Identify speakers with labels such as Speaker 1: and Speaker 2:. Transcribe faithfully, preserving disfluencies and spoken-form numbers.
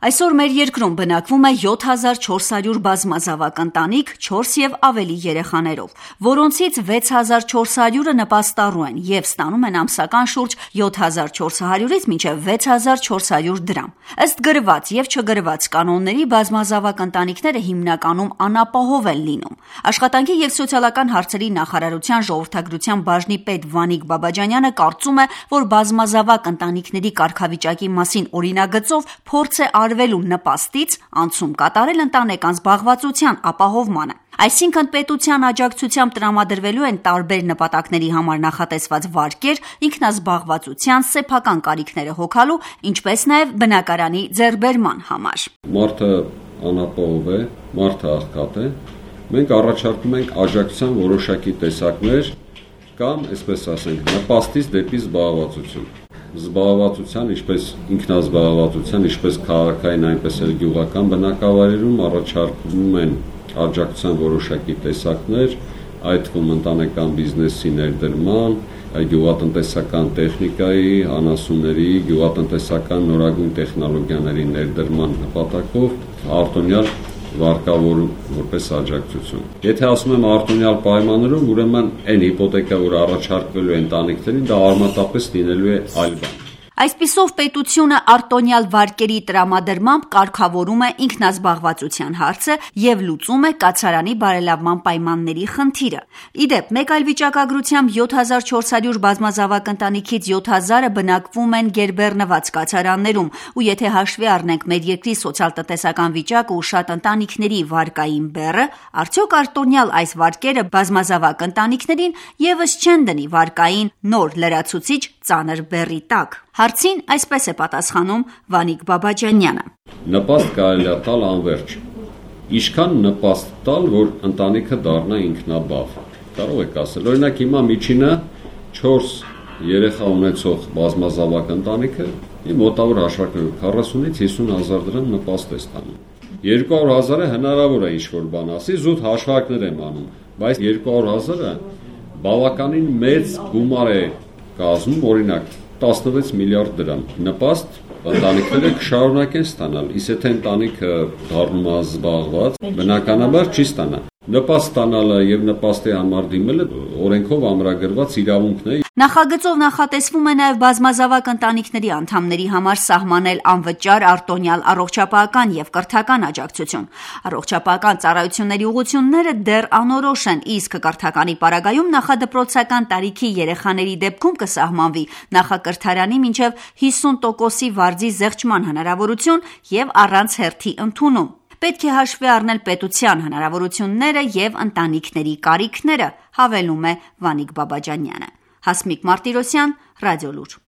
Speaker 1: Այսօր մեր երկրում բնակվում է յոթ հազար չորս հարյուր բազմազավակ ընտանիք չորս և ավելի երեխաներով, որոնցից վեց հազար չորս հարյուրը նպաստառու են և ստանում են ամսական շուրջ յոթ հազար չորս հարյուրից մինչև վեց հազար չորս հարյուր դրամ։ Ըստ գրված և չգրված կանոնների բազմազավակ ընտանիքները հիմնականում անապահով են լինում։ Աշխատանքի և սոցիալական հարցերի նախարարության ժողովրդագրության բաժնի պետ Վանիկ Բաբաջանյանը կարծում է, որ բազմազավակ ընտանիքների կարգավիճակի մասին օրինագծով փորձ է արվելու նպաստից անցում կատարել ընտանեկան զբաղվածության ապահովմանը։ Այսինքն պետության աջակցությամբ տրամադրվելու են տարբեր նպատակների համար նախատեսված վարկեր ինքնազբաղվածության սեփական կարիքները հոգալու, ինչպես նաև բնակարանի ձեռքբերման համար։
Speaker 2: Մարդը անապահով է, մարդը աղքատ է, մենք առաջարկում ենք աջակցության որոշակի տեսակներ կամ, այսպես ասենք, նպաստից դեպի զբաղվածություն։ Զբաղվածության, ինչպես ինքնազբաղվածության, ինչպես քաղաքային, այնպես էլ գյուղական բնակավայրերում առաջարկվում են աջակցության որոշակի տեսակներ, այդ թվում ընտանեկան բիզնեսի ներդրման, գյուղատնտեսական տեխնիկայի, անասունների, գյուղատնտեսական նորագույն տեխնոլոգիաների ներդրման նպատակով արտոնյալ վարկավորում որպես աջակցություն։ Եթե ասում եմ արտոնյալ պայմաններում, ուրեմն այն հիպոթեկա, որ առաջարկվելու է ընտանիքներին, դա արմատապես լինելու է այլ բան։
Speaker 1: Այսպիսով պետությունը արտոնյալ վարկերի տրամադրմամբ կարգավորում է ինքնազբաղվածության հարցը և լուծում է կացարանի բարելավման պայմանների խնդիրը։ Իդեպ, մեկ այլ վիճակագրությամբ յոթ հազար չորս հարյուր բազմազավակ ընտանիքից յոթ հազարը բնակվում են գերբեռնված կացարաններում, ու եթե հաշվի առնենք մեր երկրի սոցիալ-տնտեսական վիճակը ու շատ ընտանիքների վարկային բեռը, արդյոք արտոնյալ այս վարկերը բազմազավակ ընտանիքներին ևս չեն դնի վարկային նոր լրացուցիչ ծանր բեռի տակ։ Հարցին այսպես է պատասխանում Վանիկ Բաբաջանյանը։
Speaker 2: Նպաստ կարելի է տալ անվերջ։ Ինչքան նպաստ տալ, որ ընտանիքը դառնա ինքնաբավ։ Կարող եք ասել, օրինակ հիմա միջինը չորս երեխա ունեցող բազմազավակ ընտանիքը մոտավոր հաշվարկներով քառասունից հիսուն հազար դրամ նպաստ է ստանում։ երկու հարյուր հազարը հնարավոր է ինչ-որ բան ասի, զուտ հաշվարկներ եմ անում, բայց երկու հարյուր հազարը բավականին մեծ գումար է կազմում, օրինակ տասնվեց միլիարդ դրամ։ Նպաստ ընտանիքները կշարունակեն ստանալ, իսկ եթե ընտանիքը դառնում է զբաղված, բնականաբար չի ստանա։ Նպաստ ստանալը և նպաստի համար դիմելը օրենքով ամրագրված իրավունքն է։
Speaker 1: Նախագծով նախատեսվում է նաև բազմազավակ ընտանիքների անդամների համար սահմանել անվճար արտոնյալ առողջապահական և կրթական աջակցություն։ Առողջապահական ծառայությունների ուղղությունները դեռ անորոշ են, իսկ կրթականի պարագայում նախադպրոցական տարիքի երեխաների դեպքում կսահմանվի նախակրթարանի մինչև հիսուն տոկոսի վարձի զեղչման հնարավորություն և առանց հերթի ընդունում։ Պետք է հաշվի առնել պետության հնարավորությունները և ընտանիքների կարիքները, հավելում է Վանիկ Բաբաջանյանը։ Հասմիկ Մարտիրոսյան, Ռադիոլուր։